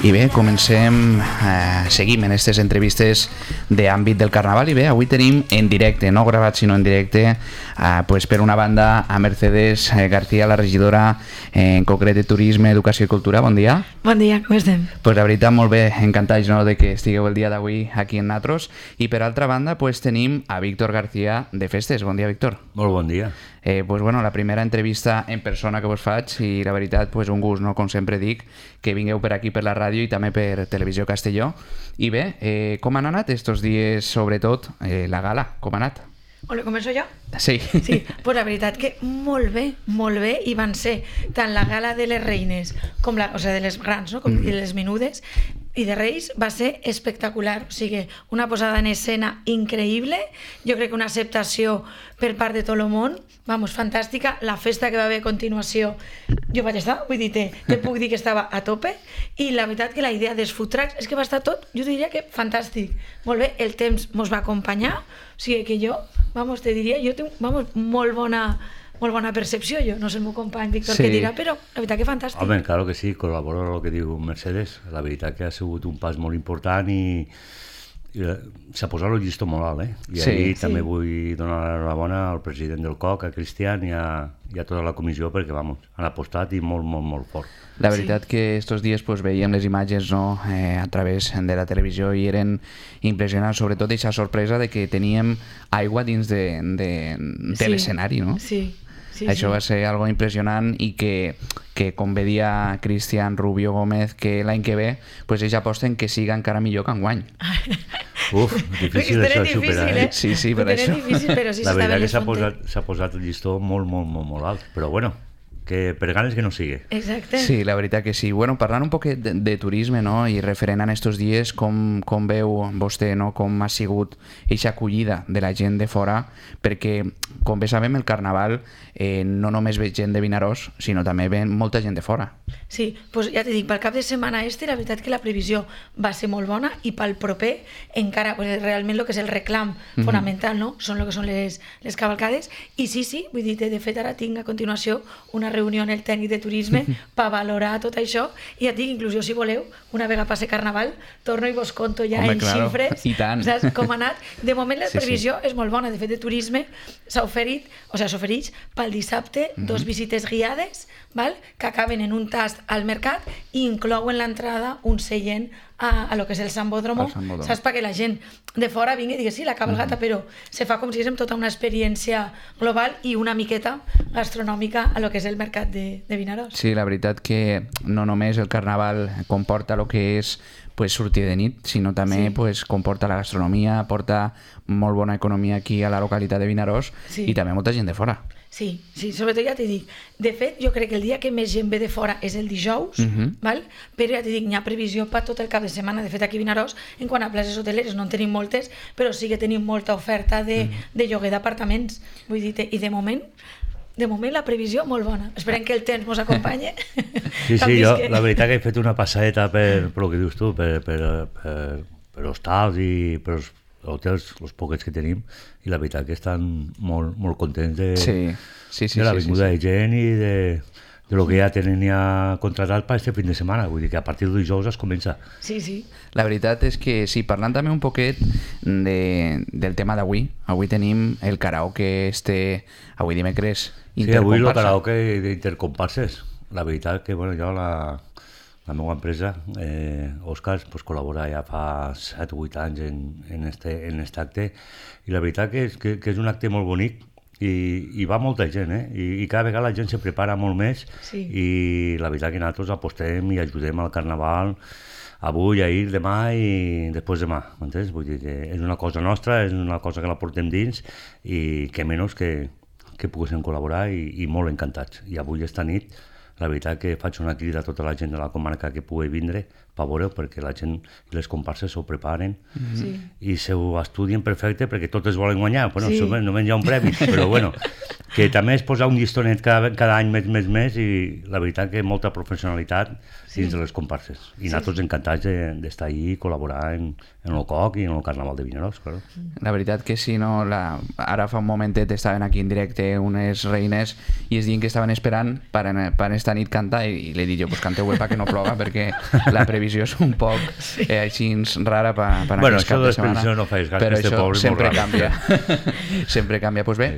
I bé, seguim en aquestes entrevistes d'àmbit del Carnaval i bé, avui tenim en directe, no gravat sinó en directe, pues per una banda a Mercedes García, la regidora en concret de Turisme, Educació i Cultura. Bon dia. Bon dia, com estem? Pues la veritat, molt bé, encantats de que estigueu el dia d'avui aquí en Natros. I per altra banda, pues tenim a Víctor García de Festes. Bon dia, Víctor. Molt bon dia. Pues bueno, la primera entrevista en persona que vos faig i la veritat, pues un gust, no? Com sempre dic, que vingueu per aquí per la ràdio i també per Televisió Castelló. I bé, com han anat estos dies, sobretot la gala? Com ha anat? Hola, començo jo? Sí. Sí, pues la veritat que molt bé, i van ser tant la gala de les reines com de les grans, no? Com de les menudes i de Reis, va ser espectacular, o sigui, una posada en escena increïble, jo crec que una acceptació per part de tot el món, vamos, fantàstica, la festa que va haver a continuació, jo vaig estar, vull dir, te puc dir que estava a tope, i la veritat que la idea dels food trucks és que va estar tot, jo diria que fantàstic, molt bé, el temps mos va acompanyar, o sigui que jo, vamos, te diria, jo tinc, vamos, molt bona percepció, jo, no sé el meu company Víctor què dirà, però la veritat que fantàstic. Home, claro que sí, col·laboro amb el que diu Mercedes, la veritat que ha sigut un pas molt important i s'ha posat el llistó molt alt, I ahir també vull donar l'enhorabona al president del COC, a Cristian i a tota la comissió perquè, vamos, han apostat i molt fort. La veritat que estos dies pues, veiem les imatges, no? A través de la televisió i eren impressionants, sobretot aquesta sorpresa de que teníem aigua dins de l'escenari, no? Sí. Això va ser algo impressionant i que com bé dia Cristian Rubio Gómez, que l'any que ve pues, ells aposten que siga encara millor que enguany. Uf, difícil això de superar, Sí, per això. La veritat que s'ha posat el llistó molt alt, però bueno, que per ganes que no sigui. Exacte. Sí, la veritat que sí. Bueno, parlant un poquet de turisme, no? I referent a estos dies, com veu vostè, no? Com ha sigut aquesta acollida de la gent de fora, perquè, com bé sabem, el Carnaval no només ve gent de Vinaròs, sinó també ve molta gent de fora. Sí, doncs ja t'he dit, pel cap de setmana la veritat que la previsió va ser molt bona i pel proper encara, realment el que és el reclam fonamental, no? Són el que són les cavalcades i sí, vull dir, de fet ara tinc a continuació una reunió en el tècnic de turisme per valorar tot això i ja et dic, inclús si voleu, una vegada passi Carnaval, torno i vos conto ja en xifres, saps com ha anat. De moment la previsió és molt bona, de fet de turisme s'ofereix pel dissabte 2 visites guiades que acaben en un tast al mercat i inclouen l'entrada un seient a lo que és el Sambódromo, saps, perquè la gent de fora vingui i digui sí, la cabalgata, però se fa com si és tota una experiència global i una miqueta gastronòmica a lo que és el mercat de Vinaròs. Sí, la veritat que no només el Carnaval comporta el que és sortir de nit, sinó també comporta la gastronomia, porta molt bona economia aquí a la localitat de Vinaròs i també molta gent de fora. Sí, sobretot ja t'he dit, de fet jo crec que el dia que més gent ve de fora és el dijous, però ja t'he dit, hi ha previsió per tot el cap de setmana, de fet aquí a Vinaròs, en quant a places hoteleres no en tenim moltes, però sí que tenim molta oferta de lloguer d'apartaments, vull dir, i de moment la previsió molt bona. Esperem que el temps ens acompanyi. Sí, jo la veritat que he fet una passadeta per el que dius tu, per hostals i per els hotels, els poquets que tenim, i la veritat que estan molt contents de la vinguda de gent i de lo que ja tenen ja contratat per este fin de setmana, vull dir que a partir del dijous es comença. Sí. La veritat és que sí, parlant també un poquet del tema d'avui, avui tenim el karaoke avui dimecres intercomparsa. Sí, avui el karaoke d'intercomparses. La veritat que, bueno, jo la meva empresa, Òscar, col·labora ja fa 7 o 8 anys en aquest acte i la veritat que és un acte molt bonic i va molta gent, i cada vegada la gent se prepara molt més i la veritat que nosaltres apostem i ajudem al Carnaval avui, ahir, demà i després demà, m'entens? Vull dir que és una cosa nostra, és una cosa que la portem dins i que menys que poguéssim col·laborar i molt encantats. I avui esta nit la veritat que faig una crida a tota la gent de la comarca que pugui vindre per veure, perquè la gent i les comparses s'ho preparen i s'ho estudien perfecte perquè totes volen guanyar. Bueno, només hi ha un premi, però bueno, que també és posar un llistonet cada any més i la veritat que molta professionalitat dins de les comparses. I nosaltres encantats d'estar allí i col·laborar en el COC i en el Carnaval de Vinaròs, claro. La veritat que sí, no? Ara fa un momentet estaven aquí en directe unes reines i es diuen que estaven esperant per esta nit cantar i li he dit jo, pues canteu perquè no ploga, perquè la previsió és un poc així rara per aquest cap de setmana. Bueno, això de les previsions no fais gas, però que este poble sempre canvia. Sempre canvia. Pues bé,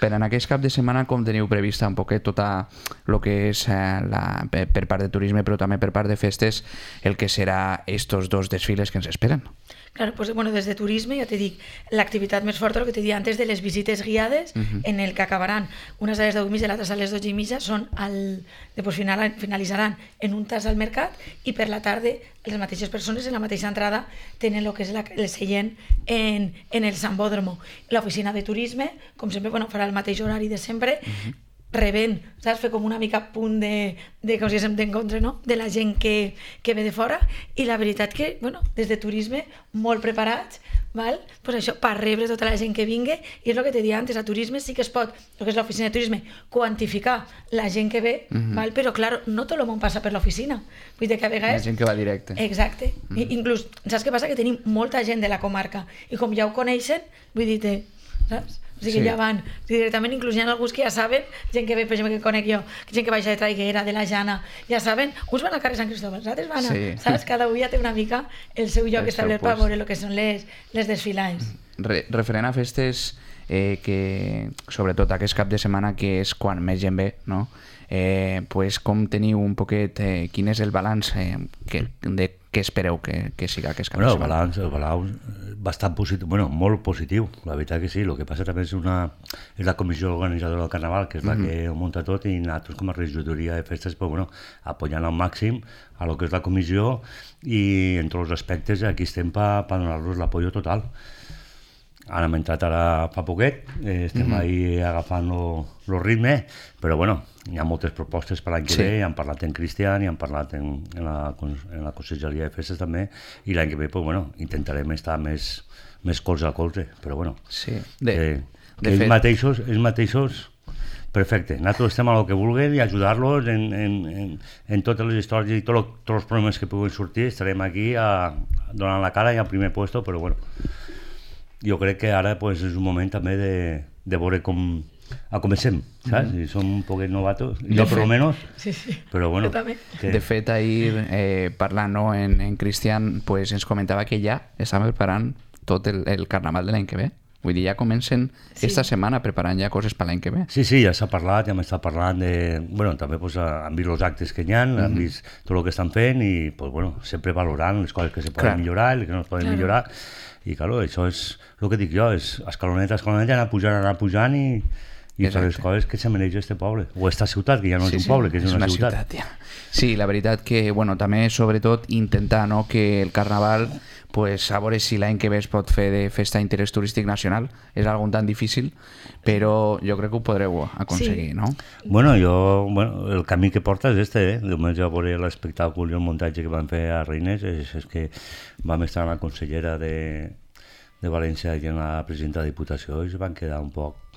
per en aquest cap de setmana com teniu prevista un poquet tota el que és per part de turisme però també per part de festes el que serà estos dos desfiles que ens esperen? Claro, pues bueno, des de turisme, ja te dic, l'activitat més forta, el que t'he dit antes, de les visites guiades, en el que acabaran unes a les 10:30 i l'altres a les 12:30, són després finalitzaran en un tas al mercat i per la tarda les mateixes persones en la mateixa entrada tenen el que és el seient en el Sambódromo. L'oficina de turisme, com sempre, bueno, farà el mateix horari de sempre, rebent, saps? Fer com una mica punt de com si haguéssim d'encontre, no? De la gent que ve de fora i la veritat que, bueno, des de turisme molt preparats, val? Pues això, per rebre tota la gent que vingui i és el que t'he dit antes, a turisme sí que es pot, el que és l'oficina de turisme, quantificar la gent que ve, val? Però clar, no tot el món passa per l'oficina, vull dir que a vegades... La gent que va directe. Exacte, inclús, saps què passa? Que tenim molta gent de la comarca i com ja ho coneixen, vull dir-te, saps? O sigui que ja van, directament, inclús hi ha alguns que ja saben, gent que ve, per exemple, que conec jo, gent que baixa de Traiguera, de la Jana, ja saben, uns van al carrer Sant Cristòfol, els altres van a, saps? Cada un ja té una mica el seu lloc establert per veure el que són les desfilades. Referent a festes, que sobretot aquest cap de setmana, que és quan més gent ve, no? Pues com teniu un poquet, quin és el balanç de què espereu que siga aquest cap de setmana? El balanç bastant positiu, bueno, molt positiu, la veritat que sí. El que passa també és la comissió organitzadora del Carnaval, que és la que ho munta tot, i nosaltres com a regidoria de festes, pues, bueno, apoyant al màxim a lo que és la comissió i en tots els aspectes aquí estem per donar-los l'apoyo total. Ara hem entrat fa poquet, estem ahí agafant el ritme, però bueno, hi ha moltes propostes per l'any que ve, ja han parlat en Cristian, ja han parlat en la Conselleria de Festes també, i l'any que ve, pues, bueno, intentarem estar més colze a colze, però bueno, ells mateixos, perfecte, nosaltres estem a lo que vulguem i ajudar-los en totes les històries i tots els problemes que puguin sortir, estarem aquí donant la cara i al primer puesto, però bueno, jo crec que ara pues, és un moment també de veure com comencem, saps? I som un poquet novatos, jo per almenys, però bueno. De fet, ahir parlant en Cristian, pues, ens comentava que ja estan preparant tot el carnaval de l'any que ve. Vull dir, ja comencen esta setmana preparant ja coses per l'any que ve. Sí, ja s'ha parlat, ja hem estat parlant de... Bueno, també pues, han vist els actes que hi ha, han vist tot el que estan fent i pues, bueno, sempre valorant les coses que se poden millorar i les que no es poden millorar. I clar, això és el que dic jo, és escaloneta, anar pujant i fer les coses que se mereix este poble. O esta ciutat, que ja no és un poble, que és una ciutat. Sí, la veritat que, bueno, també sobretot intentar que el carnaval, pues, a veure si l'any que ve es pot fer de festa d'interès turístic nacional. És algo tan difícil, però jo crec que ho podreu aconseguir, no? Bueno, el camí que porta és este, Diumenge a veure l'espectacle i el muntatge que van fer a Reines, és que vam estar amb la consellera de València i amb la presidenta de Diputació i es van quedar un poc...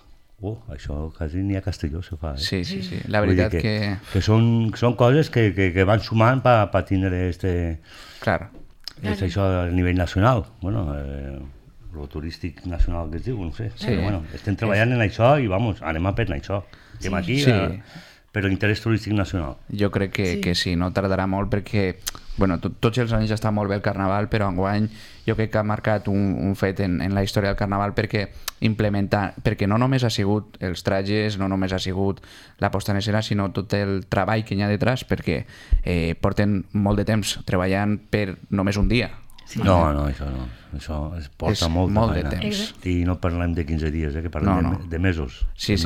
això quasi ni a Castelló se fa. Sí. La veritat que... Que són coses que van sumant per tindre Claro. És això a nivell nacional. Bueno, lo turístic nacional que es diu, no sé. Però bueno, estem treballant en això i anem a per això. Estem aquí per l'interès turístic nacional. Jo crec que sí, no tardarà molt perquè, bueno, tots els anys està molt bé el Carnaval, però enguany jo crec que ha marcat un fet en la història del Carnaval perquè no només ha sigut els trajes, no només ha sigut la posta en escena, sinó tot el treball que hi ha detrás, perquè porten molt de temps treballant per només un dia. No, això no. Això es porta molt de temps. I no parlem de 15 dies, que parlem de mesos. Sí.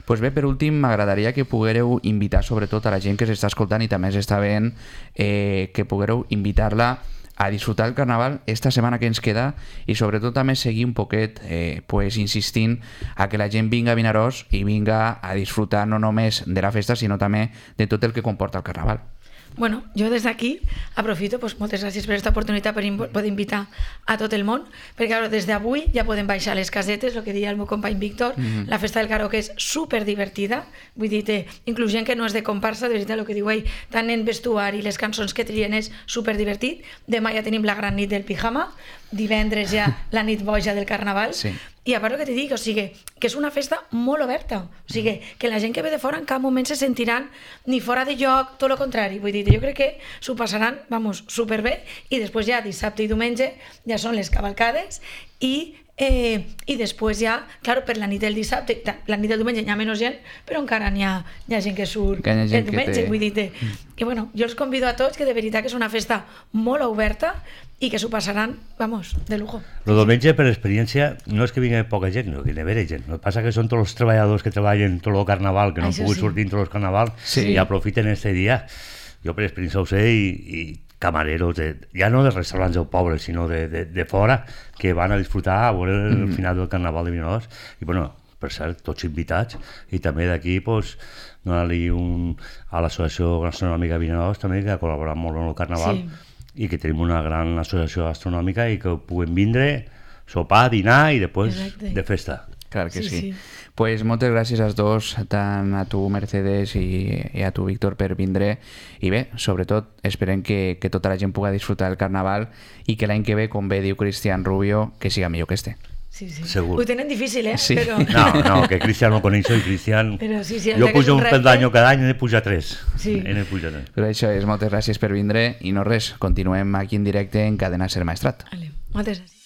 Pues bé, per últim, m'agradaria que poguéreu invitar sobretot a la gent que s'està escoltant i també s'està veient, que poguéreu invitar-la a disfrutar el Carnaval esta setmana que ens queda i sobretot també seguir un poquet insistint a que la gent vinga a Vinaròs i vinga a disfrutar no només de la festa sinó també de tot el que comporta el Carnaval. Bueno, jo des d'aquí aprofito, moltes gràcies per aquesta oportunitat per poder invitar a tot el món, perquè claro, des d'avui ja podem baixar les casetes, el que deia el meu company Víctor, la festa del karaoke és super divertida, vull dir, inclús gent que no és de comparsa, de veritat el que diu ell, tant en vestuari, les cançons que trien és super divertit. Demà ja tenim la gran nit del pijama, divendres ja la nit boja del carnaval, i a part el que t'he dit, o sigui, que és una festa molt oberta, o sigui, que la gent que ve de fora en cap moment se sentiran ni fora de lloc, tot el contrari, vull dir, jo crec que s'ho passaran, vamos, superbé, i després ja dissabte i diumenge ja són les cavalcades i després ja, clar, per la nit del dissabte, la nit del diumenge hi ha menys gent, però encara hi ha gent que surt el diumenge, vull dir, i bueno, jo els convido a tots que de veritat que és una festa molt oberta i que s'ho passaran, vamos, de lujo. El diumenge, per experiència, no és que vingui poca gent, no, que hi ha gent. El que passa que són tots els treballadors que treballen tot el carnaval, que no han pogut sortir en tot el carnaval, i aprofiten aquest dia. Jo per experiència ho sé, i camareros, ja no de restaurants del poble, sinó de fora, que van a disfrutar a veure el final del carnaval de Vinaròs. I bueno, per cert, tots invitats, i també d'aquí, doncs, donar-li a l'Associació Gastronòmica Vinaròs, també, que ha col·laborat molt en el carnaval, i que tenim una gran associació gastronòmica i que puguem vindre, sopar, dinar i després de festa. Clar que sí. Pues moltes gràcies als dos, tant a tu, Mercedes, i a tu, Víctor, per vindre. I bé, sobretot, esperem que tota la gent pugui disfrutar del carnaval i que l'any que ve, com bé diu Cristian Rubio, que siga millor que este. Sí. Segur. Ho tenen difícil, Sí. Però... No, que Cristian no coneixo i Cristian... Però sí, jo pujo un peldaño cada any i n'he pujat 3. Sí. Però això és, moltes gràcies per vindre i no res, continuem aquí en directe en Cadena Ser Maestrat. Vale, moltes gràcies.